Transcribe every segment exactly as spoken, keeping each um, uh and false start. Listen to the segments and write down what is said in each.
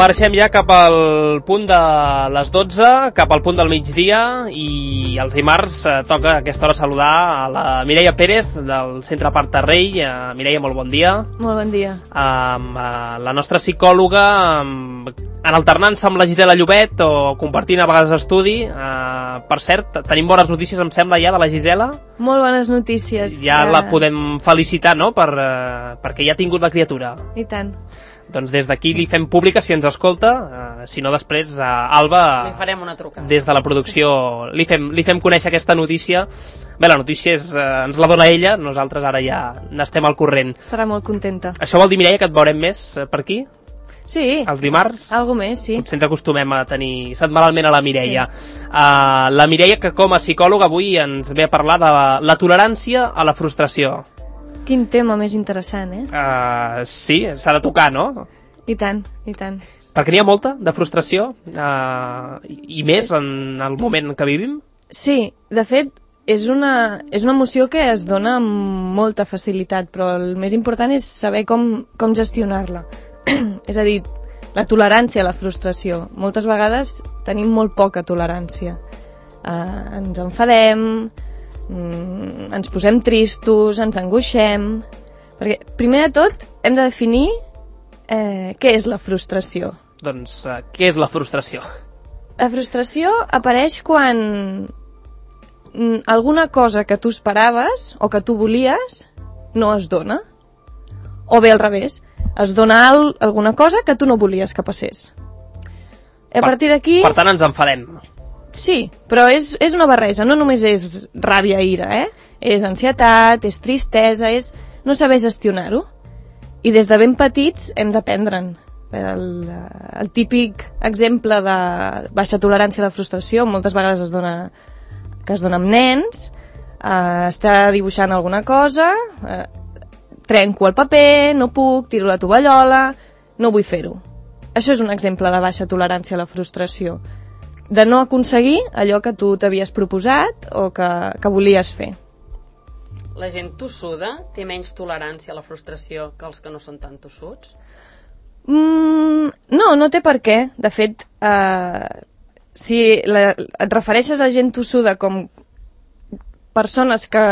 marxem ja cap al punt de les dotze, cap al punt del migdia, i els dimarts eh, toca a aquesta hora saludar a la Mireia Pérez del Centre Parc-Rei. Eh, Mireia, molt bon dia. Molt bon dia. Um, uh, la nostra psicòloga, um, en alternança amb la Gisela Llobet o compartint a vegades estudi. Uh, per cert, tenim bones notícies, em sembla, ja de la Gisela. Molt bones notícies. Ja que... la podem felicitar, no?, per, uh, perquè ja ha tingut la criatura. I tant. Doncs des d'aquí li fem pública si ens escolta, uh, si no després uh, Alba, li farem una trucada. Des de la producció li fem, li fem conèixer aquesta notícia. Bé, la notícia és, uh, ens la dona ella, nosaltres ara ja n'estem al corrent. Estarà molt contenta. Això vol dir, Mireia, que et veurem més uh, per aquí? Sí. Els dimarts? Algo més, sí. Potser ens acostumem a tenir setmanalment a la Mireia. Sí. Uh, la Mireia, que com a psicòloga avui ens ve a parlar de la, la tolerància a la frustració. Quin tema més interessant, eh? Uh, sí, s'ha de tocar, no? I tant, i tant. Perquè n'hi ha molta de frustració, uh, i, i més en el moment en què vivim? Sí, de fet, és una, és una emoció que es dona amb molta facilitat, però el més important és saber com, com gestionar-la. És a dir, la tolerància a la frustració. Moltes vegades tenim molt poca tolerància. Uh, ens enfadem, mm, ens posem tristos, ens angoixem... Perquè, primer de tot, hem de definir eh, què és la frustració. Doncs, uh, què és la frustració? La frustració apareix quan mm, alguna cosa que tu esperaves o que tu volies no es dona. O bé al revés, es dona al, alguna cosa que tu no volies que passés. A partir d'aquí... Per tant, ens enfadem. Sí, però és, és una barreja, no només és ràbia i ira, eh? És ansietat, és tristesa, és no saber gestionar-ho. I des de ben petits hem d'aprendre'n. El, el típic exemple de baixa tolerància a la frustració moltes vegades es dona, que es dona amb nens, eh, està dibuixant alguna cosa, eh, trenco el paper, no puc, tiro la tovallola, no vull fer-ho. Això és un exemple de baixa tolerància a la frustració, de no aconseguir allò que tu t'havies proposat o que, que volies fer. La gent tossuda té menys tolerància a la frustració que els que no són tan tossuts? Mm, no, no té per què. De fet, eh, si la, et refereixes a gent tossuda com persones que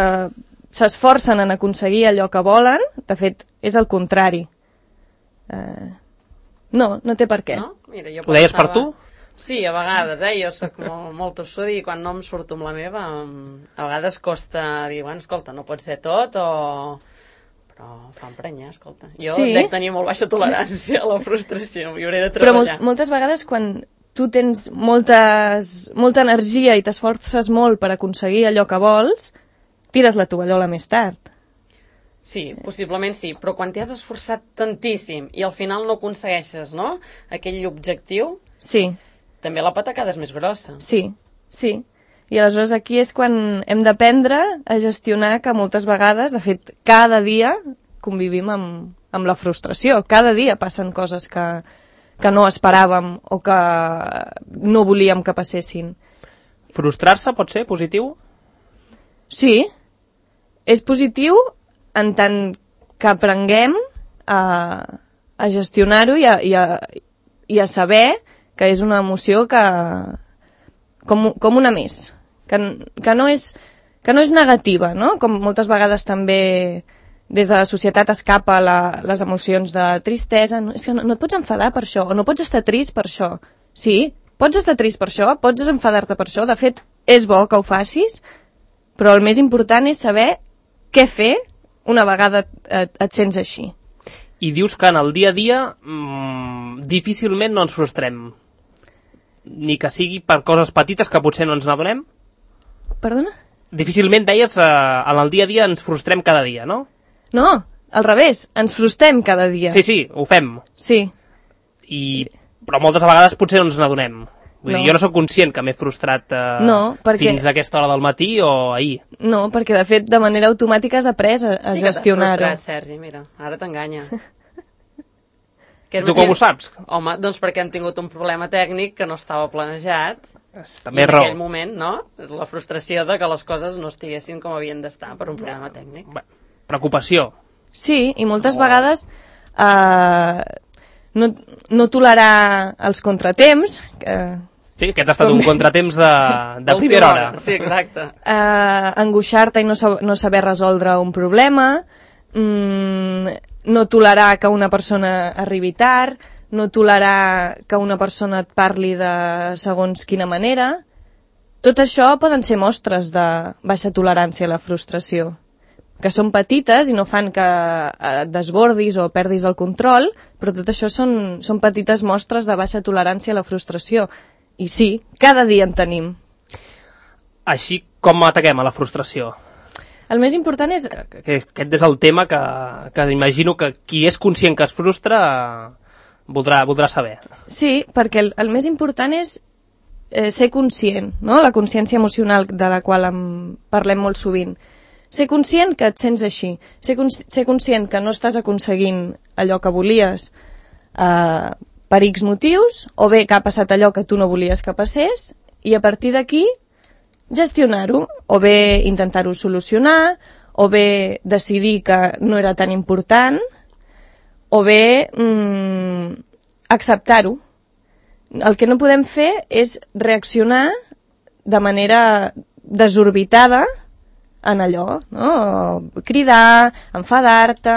s'esforcen en aconseguir allò que volen, de fet, és el contrari. Eh, no, no té per què. No? Mira, jo Ho deies pensava... per tu? Sí, a vegades, eh? Jo soc molt, molt tossuda i quan no em surto amb la meva, a vegades costa dir, bueno, escolta, no pot ser tot o... Però fa emprenyar, escolta. Jo sí. Dec tenir molt baixa tolerància a la frustració, m'hi hauré de treballar. Però treballar. Mol moltes vegades quan tu tens moltes, molta energia i t'esforces molt per aconseguir allò que vols, tires la tovallola més tard. Sí, possiblement sí, però quan t'hi has esforçat tantíssim i al final no aconsegueixes, no?, aquell objectiu... Sí. També la patacada és més grossa. Sí, sí. I aleshores aquí és quan hem d'aprendre a gestionar que moltes vegades, de fet, cada dia convivim amb, amb la frustració. Cada dia passen coses que, que no esperàvem o que no volíem que passessin. Frustrar-se pot ser positiu? Sí. És positiu en tant que aprenguem a, a gestionar-ho i, i, a, i a saber que és una emoció que com, com una més, que, que, no és, que no és negativa, no? Com moltes vegades també des de la societat escapa la, les emocions de tristesa, no, és que no, no et pots enfadar per això, o no pots estar trist per això. Sí, pots estar trist per això, pots enfadar-te per això, de fet és bo que ho facis, però el més important és saber què fer una vegada et, et sents així. I dius que en el dia a dia mmm, difícilment no ens frustrem. Ni que sigui per coses petites que potser no ens n'adonem? Perdona? Difícilment, deies, eh, en el dia a dia ens frustrem cada dia, no? No, al revés, ens frustrem cada dia. Sí, sí, ho fem. Sí. I, però moltes vegades potser no ens n'adonem. Vull no. dir, jo no sóc conscient que m'he frustrat eh, no, perquè... fins a aquesta hora del matí o ahir. No, perquè de fet de manera automàtica has après a, a sí gestionar-ho. Sí que t'has frustrat, Sergi, mira, ara t'enganya. Tu com ho saps? Home, doncs perquè hem tingut un problema tècnic que no estava planejat. També i en raó. aquell moment, no? És la frustració de que les coses no estiguessin com havien d'estar per un problema tècnic. Bé, preocupació. Sí, i moltes oh. vegades eh, no, no tolerar els contratemps, que... Sí, aquest ha estat com... un contratemps de, de primera hora. Sí, exacte. Uh, angoixar-te i no, sab no saber resoldre un problema, mm, no tolerar que una persona arribi tard, no tolerar que una persona et parli de segons quina manera. Tot això poden ser mostres de baixa tolerància a la frustració, que són petites i no fan que et desbordis o perdis el control, però tot això són, són petites mostres de baixa tolerància a la frustració. I sí, cada dia en tenim. Així com ataquem a la frustració? El més important és... Aquest és el tema que, que imagino que qui és conscient que es frustra voldrà, voldrà saber. Sí, perquè el, el més important és eh, ser conscient, no? La consciència emocional de la qual en parlem molt sovint. Ser conscient que et sents així. Ser, cons ser conscient que no estàs aconseguint allò que volies eh, per X motius, o bé que ha passat allò que tu no volies que passés, i a partir d'aquí gestionar-ho, o bé intentar-ho solucionar, o bé decidir que no era tan important, o bé mm, acceptar-ho. El que no podem fer és reaccionar de manera desorbitada en allò, no? Cridar, enfadar-te,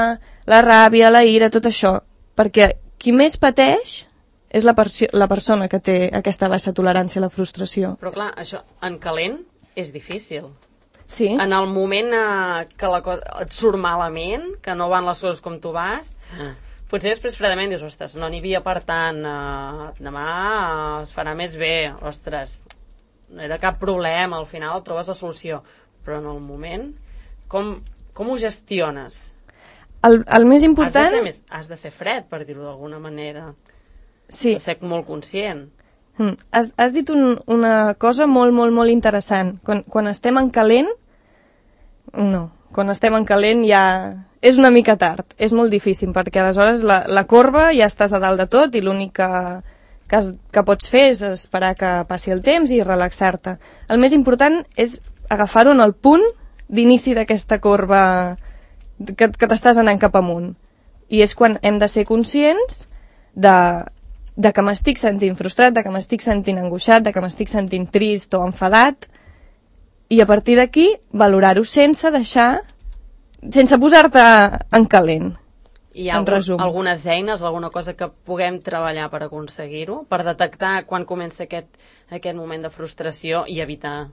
la ràbia, la ira, tot això, perquè qui més pateix és la, la persona que té aquesta baixa tolerància a la frustració. Però clar, això en calent és difícil. Sí. En el moment eh, que la cosa et surt malament, que no van les coses com tu vas, ah. potser després fredament dius, ostres, no n'hi havia per tant, eh, demà eh, es farà més bé, ostres, no era cap problema, al final trobes la solució. Però en el moment, com, com ho gestiones? El, el més important... Has de ser, més, has de ser fred, per dir-ho d'alguna manera. Sí. Has de ser molt conscient. Mm. Has, has dit un, una cosa molt, molt, molt interessant. Quan, quan estem en calent... No, quan estem en calent ja... És una mica tard, és molt difícil, perquè aleshores la, la corba ja estàs a dalt de tot i l'únic que, que, has, que pots fer és esperar que passi el temps i relaxar-te. El més important és agafar-ho en el punt d'inici d'aquesta corba... que, que t'estàs anant cap amunt. I és quan hem de ser conscients de, de que m'estic sentint frustrat, de que m'estic sentint angoixat, de que m'estic sentint trist o enfadat, i a partir d'aquí valorar-ho sense deixar, sense posar-te en calent. Hi ha algun, algunes eines, alguna cosa que puguem treballar per aconseguir-ho, per detectar quan comença aquest, aquest moment de frustració i evitar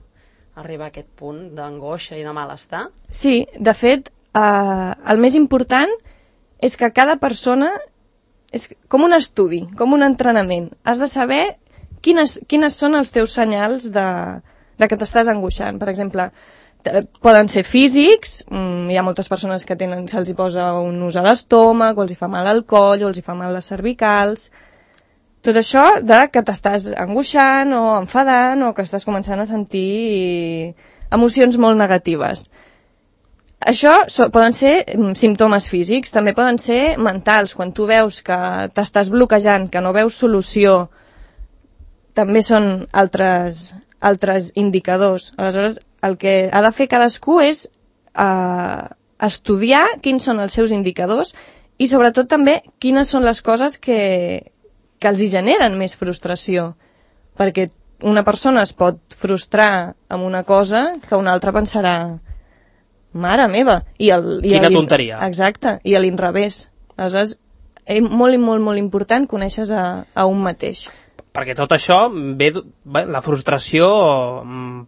arribar a aquest punt d'angoixa i de malestar? Sí, de fet, Uh, el més important és que cada persona és com un estudi, com un entrenament. Has de saber quines, quines són els teus senyals de, de que t'estàs angoixant. Per exemple, poden ser físics, mm, hi ha moltes persones que tenen, se'ls hi posa un nus a l'estómac, o els hi fa mal al coll, o els hi fa mal les cervicals. Tot això de que t'estàs angoixant o enfadant o que estàs començant a sentir emocions molt negatives. Això so, poden ser símptomes físics, també poden ser mentals. Quan tu veus que t'estàs bloquejant, que no veus solució, també són altres, altres indicadors. Aleshores, el que ha de fer cadascú és eh, estudiar quins són els seus indicadors i sobretot també quines són les coses que, que els hi generen més frustració. Perquè una persona es pot frustrar amb una cosa que una altra pensarà... Mare meva! I el, i Quina tonteria. Exacte, i a l'inrevés. Aleshores, és molt, molt, molt important conèixer a, a un mateix. Perquè tot això, ve, bé, la frustració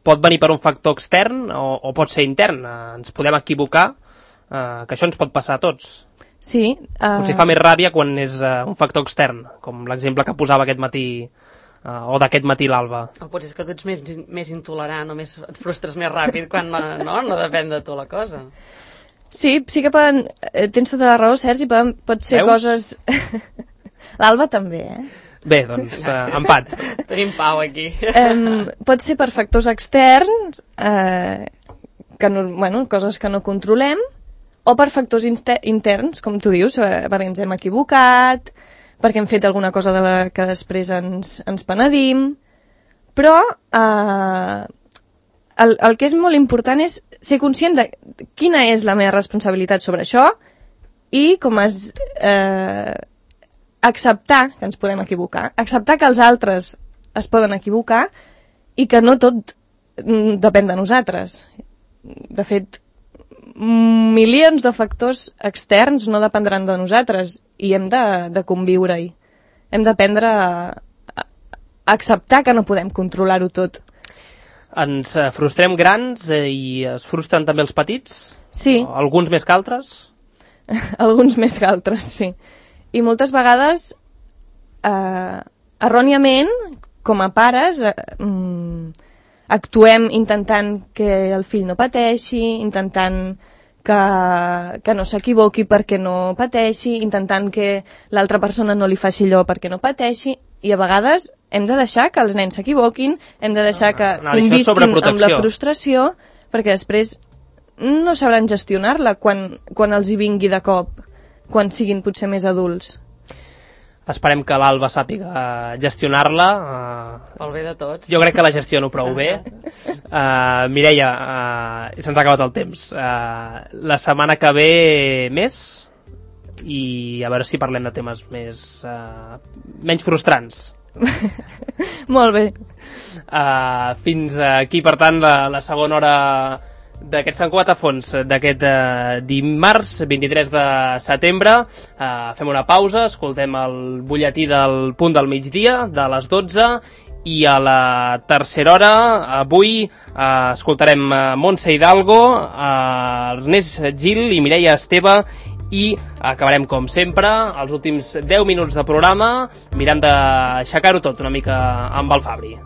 pot venir per un factor extern o, o pot ser intern. Ens podem equivocar, eh, que això ens pot passar a tots. Sí. Uh... Potser fa més ràbia quan és uh, un factor extern, com l'exemple que posava aquest matí, uh, o d'aquest matí l'Alba. O potser és que tu ets més, més intolerant o més, et frustres més ràpid quan no, no, no depèn de tu la cosa. Sí, sí que poden... Eh, tens tota la raó, Sergi, poden, pot ser Veus? Coses... L'Alba també, eh? Bé, doncs, uh, empat. Tenim pau aquí. Um, pot ser per factors externs, eh, que no, bueno, coses que no controlem, o per factors interns, com tu dius, perquè ens hem equivocat, perquè hem fet alguna cosa de la que després ens, ens penedim, però eh, el, el que és molt important és ser conscient de quina és la meva responsabilitat sobre això i com es... Eh, acceptar que ens podem equivocar, acceptar que els altres es poden equivocar i que no tot depèn de nosaltres. De fet, milions de factors externs no dependran de nosaltres i hem de, de conviure-hi. Hem d'aprendre a, a acceptar que no podem controlar-ho tot. Ens eh, frustrem grans eh, i es frustren també els petits? Sí. O alguns més que altres? Alguns més que altres, sí. I moltes vegades, eh, erròniament, com a pares, eh, mm, actuem intentant que el fill no pateixi, intentant que, que no s'equivoqui perquè no pateixi, intentant que l'altra persona no li faci allò perquè no pateixi, i a vegades hem de deixar que els nens s'equivoquin, hem de deixar que no, no, convisquin amb la frustració, perquè després no sabran gestionar-la quan, quan els hi vingui de cop, quan siguin potser més adults. Esperem que l'Alba sàpiga gestionar-la. Uh, Pel bé de tots. Jo crec que la gestiono prou bé. Uh, Mireia, uh, se'ns ha acabat el temps. Uh, la setmana que ve més, i a veure si parlem de temes més uh, menys frustrants. Molt bé. Uh, fins aquí, per tant, la, la segona hora d'aquest Sant Cugat a fons d'aquest eh, dimarts vint-i-tres de setembre. Eh, fem una pausa, escoltem el butlletí del punt del migdia de les dotze, i a la tercera hora avui eh, escoltarem eh, Montse Hidalgo, eh, Ernest Gil i Mireia Esteve, i acabarem com sempre els últims deu minuts de programa mirant d'aixecar-ho tot una mica amb el Fabri.